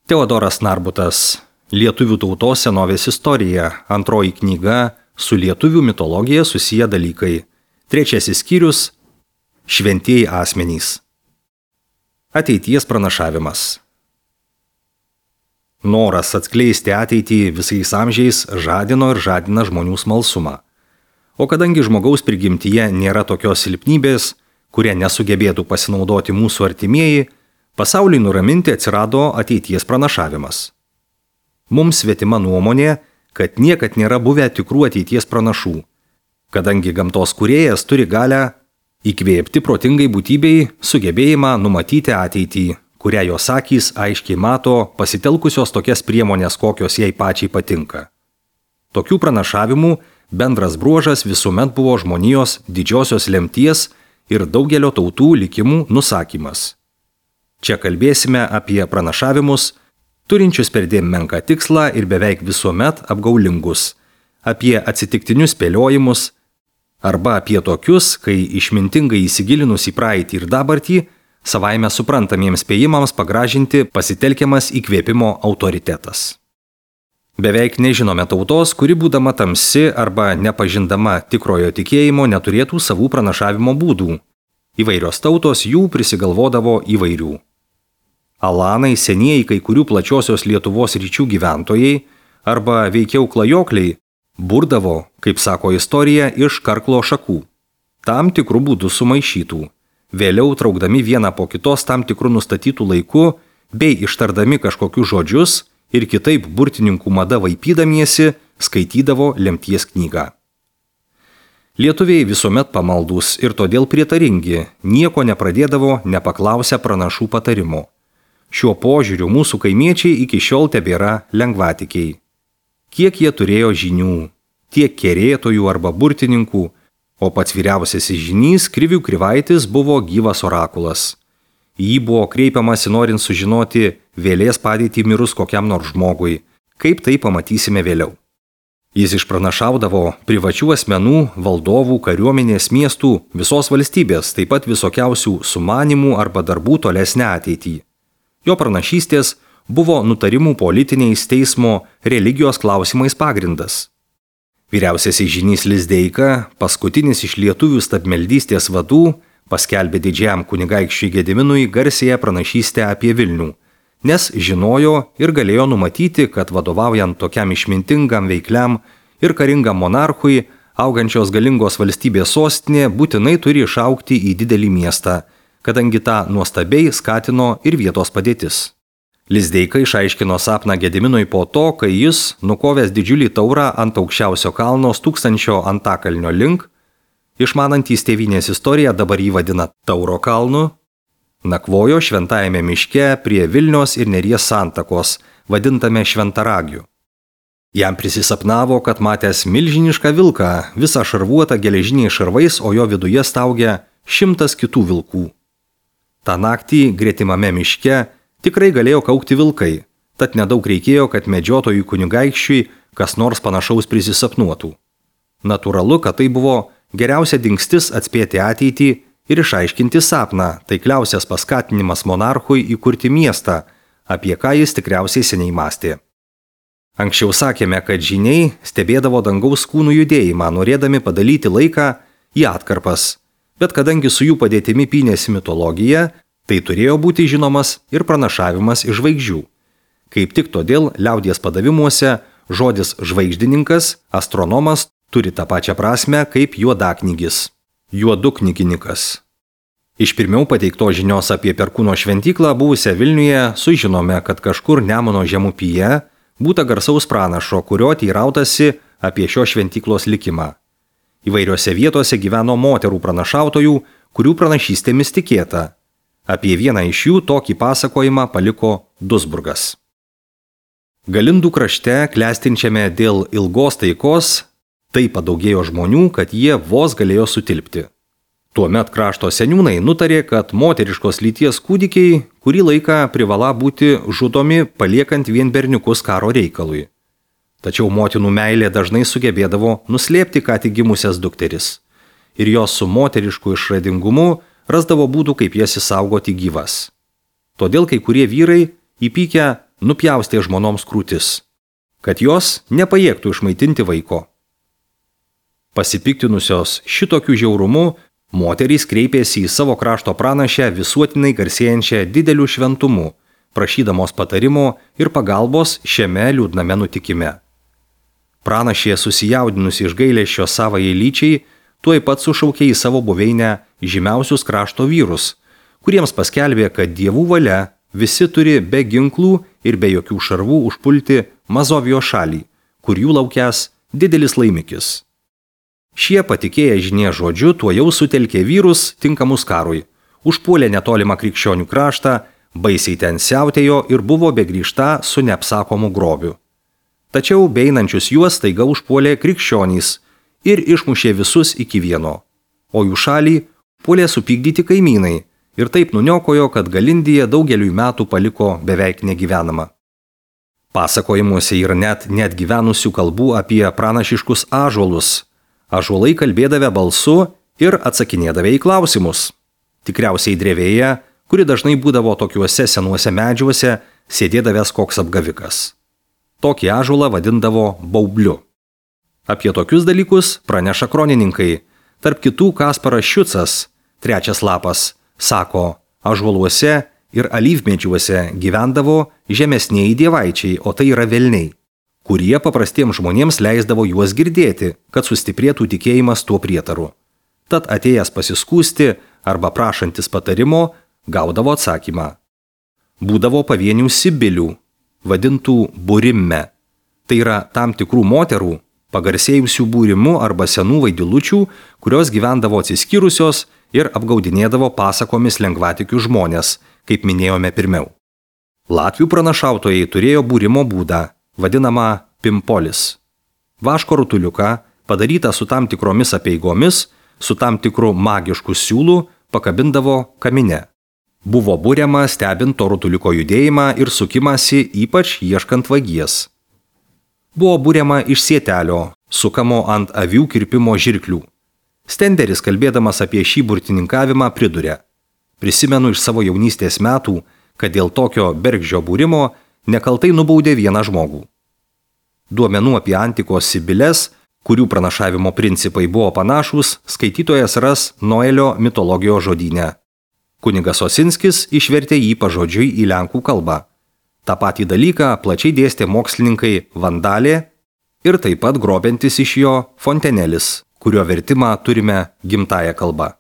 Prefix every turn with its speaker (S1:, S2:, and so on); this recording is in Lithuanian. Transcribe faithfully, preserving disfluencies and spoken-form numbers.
S1: Teodoras Narbutas, Lietuvių tautos senovės istorija, antroji knyga, su lietuvių mitologija susiję dalykai. Trečiasis skyrius – šventieji asmenys. Ateities pranašavimas. Noras atskleisti ateitį visais amžiais žadino ir žadina žmonių smalsumą. O kadangi žmogaus prigimtyje nėra tokios silpnybės, kurie nesugebėtų pasinaudoti mūsų artimieji, pasauliui nuraminti atsirado ateities pranašavimas. Mums svetima nuomonė, kad niekad nėra buvę tikrų ateities pranašų, kadangi gamtos kūrėjas turi galę įkvėpti protingai būtybei sugebėjimą numatyti ateitį, kurią jos akys aiškiai mato pasitelkusios tokias priemonės, kokios jai pačiai patinka. Tokių pranašavimų bendras bruožas visuomet buvo žmonijos didžiosios lemties ir daugelio tautų likimų nusakymas. Čia kalbėsime apie pranašavimus, turinčius perdėm menką tikslą ir beveik visuomet apgaulingus, apie atsitiktinius spėliojimus, arba apie tokius, kai išmintingai įsigilinus į praeitį ir dabartį, savaime suprantamiems spėjimams pagražinti pasitelkiamas įkvėpimo autoritetas. Beveik nežinome tautos, kuri būdama tamsi arba nepažindama tikrojo tikėjimo neturėtų savų pranašavimo būdų. Įvairios tautos jų prisigalvodavo įvairių. Alanai, senieji kai kurių plačiosios Lietuvos ryčių gyventojai, arba veikiau klajokliai, burdavo, kaip sako istorija, iš karklo šakų, tam tikrų būdų sumaišytų, vėliau traukdami vieną po kitos tam tikrų nustatytų laiku, bei ištardami kažkokius žodžius ir kitaip burtininkų mada vaipydamiesi, skaitydavo lemties knygą. Lietuviai visuomet pamaldus ir todėl prietaringi, nieko nepradėdavo nepaklausę pranašų patarimo. Šiuo požiūriu mūsų kaimiečiai iki šiol tebėra lengvatikiai. Kiek jie turėjo žinių, tiek kerėtojų arba burtininkų, o pats vyriausiasis žynys Krivių Krivaitis buvo gyvas orakulas. Jį buvo kreipiamasi norint sužinoti vėlės padėtį mirus kokiam nors žmogui, kaip tai pamatysime vėliau. Jis išpranašaudavo privačių asmenų, valdovų, kariuomenės, miestų, visos valstybės, taip pat visokiausių sumanimų arba darbų tolesnę ateitį. Jo pranašystės buvo nutarimų politiniais teismo religijos klausimais pagrindas. Vyriausiasis žynys Lizdeika, paskutinis iš lietuvių stabmeldystės vadų, paskelbė didžiajam kunigaikščiui Gediminui garsiąją pranašystę apie Vilnių, nes žinojo ir galėjo numatyti, kad vadovaujant tokiam išmintingam, veikliam ir karingam monarchui, augančios galingos valstybės sostinė būtinai turi išaugti į didelį miestą, kadangi tą nuostabiai skatino ir vietos padėtis. Lizdeika išaiškino sapną Gediminui po to, kai jis, nukovęs didžiulį taurą ant aukščiausio kalno Tūkstančio Antakalnio link, išmanantys tėvynės istoriją dabar jį vadina Tauro kalnu, nakvojo šventajame miške prie Vilnios ir Neries santakos, vadintame Šventaragiu. Jam prisisapnavo, kad matęs milžinišką vilką, visą šarvuotą geležiniais šarvais, o jo viduje staugia šimtas kitų vilkų. Ta naktį gretimame miške tikrai galėjo kaukti vilkai, tad nedaug reikėjo, kad medžiotojui kunigaikščiui kas nors panašaus prisisapnuotų. Natūralu, kad tai buvo geriausia dingstis atspėti ateitį ir išaiškinti sapną, taikliausias paskatinimas monarchui įkurti miestą, apie ką jis tikriausiai seniai mąstė. Anksčiau sakėme, kad žyniai stebėdavo dangaus kūnų judėjimą, norėdami padalyti laiką į atkarpas. Bet kadangi su jų padėtimi pynėsi mitologija, tai turėjo būti žinomas ir pranašavimas iš žvaigždžių. Kaip tik todėl liaudies padavimuose žodis žvaigždininkas, astronomas turi tą pačią prasme kaip juodaknygis, juoduknygininkas. Iš pirmiau pateikto žinios apie Perkūno šventyklą buvusią Vilniuje sužinome, kad kažkur Nemuno žemupyje būta garsaus pranašo, kurio teirautasi apie šio šventyklos likimą. Įvairiose vietose gyveno moterų pranašautojų, kurių pranašystėmis tikėta. Apie vieną iš jų tokį pasakojimą paliko Duisburgas. Galindų krašte, klestinčiame dėl ilgos taikos, taip padaugėjo žmonių, kad jie vos galėjo sutilpti. Tuomet krašto seniūnai nutarė, kad moteriškos lyties kūdikiai kurį laiką privala būti žudomi, paliekant vien berniukus karo reikalui. Tačiau motinų meilė dažnai sugebėdavo nuslėpti ką tik gimusias dukteris. Ir jos su moterišku išradingumu rasdavo būdų, kaip jas išsaugoti gyvas. Todėl kai kurie vyrai įpykę nupjaustė žmonoms krūtis, kad jos nepajėgtų išmaitinti vaiko. Pasipiktinusios šitokių žiaurumų, moterys kreipėsi į savo krašto pranašę visuotinai garsėjančią dideliu šventumu, prašydamos patarimo ir pagalbos šiame liūdname nutikime. Pranašė susijaudinusi iš gailesčio savajai lyčiai, tuoj pat sušaukė į savo buveinę žymiausius krašto vyrus, kuriems paskelbė, kad dievų valia visi turi be ginklų ir be jokių šarvų užpulti Mazovijos šalį, kur jų laukęs didelis laimikis. Šie patikėję žinie žodžiu tuojau sutelkė vyrus tinkamus karui, užpuolė netolimą krikščionių kraštą, baisiai ten siautėjo ir buvo begrįžta su neapsakomu grobiu. Tačiau beinančius juos staiga užpuolė krikščionys ir išmušė visus iki vieno, o jų šalį puolė supykdyti kaimynai ir taip nuniokojo, kad Galindija daugeliui metų paliko beveik negyvenama. Pasakojimuose yra net net gyvenusių kalbų apie pranašiškus ąžuolus. Ąžuolai kalbėdavę balsu ir atsakinėdavę į klausimus. Tikriausiai drevėje, kuri dažnai būdavo tokiuose senuose medžiuose, sėdėdavęs koks apgavikas. Tokį ąžuolą vadindavo baubliu. Apie tokius dalykus praneša kronininkai. Tarp kitų Kasparas Šiucas, trečias lapas, sako, ąžuoluose ir alyvmedžiuose gyvendavo žemesnieji dievaičiai, o tai yra velniai, kurie paprastiems žmonėms leisdavo juos girdėti, kad sustiprėtų tikėjimas tuo prietaru. Tad atėjęs pasiskųsti arba prašantis patarimo, gaudavo atsakymą. Būdavo pavienių sibilių, vadintų burimme. Tai yra tam tikrų moterų, pagarsėjusių būrimu arba senų vaidilučių, kurios gyvendavo atsiskyrusios ir apgaudinėdavo pasakomis lengvatikių žmonės, kaip minėjome pirmiau. Latvių pranašautojai turėjo būrimo būdą, vadinamą pimpolis. Vaško rutuliuką, padarytą su tam tikromis apeigomis, su tam tikru magišku siūlu, pakabindavo kamine. Buvo būriama stebint to rutuliuko judėjimą ir sukimąsi, ypač ieškant vagies. Buvo būriama iš sietelio, sukamo ant avių kirpimo žirklių. Stenderis, kalbėdamas apie šį burtininkavimą, priduria: prisimenu iš savo jaunystės metų, kad dėl tokio bergždžio būrimo nekaltai nubaudė vieną žmogų. Duomenų apie antikos sibiles, kurių pranašavimo principai buvo panašūs, skaitytojas ras Noelio mitologijos žodyne. Kunigas Osinskis išvertė jį pažodžiui į lenkų kalbą. Ta patį dalyką plačiai dėstė mokslininkai Vandalė ir taip pat grobiantis iš jo Fontenelis, kurio vertimą turime gimtąją kalbą.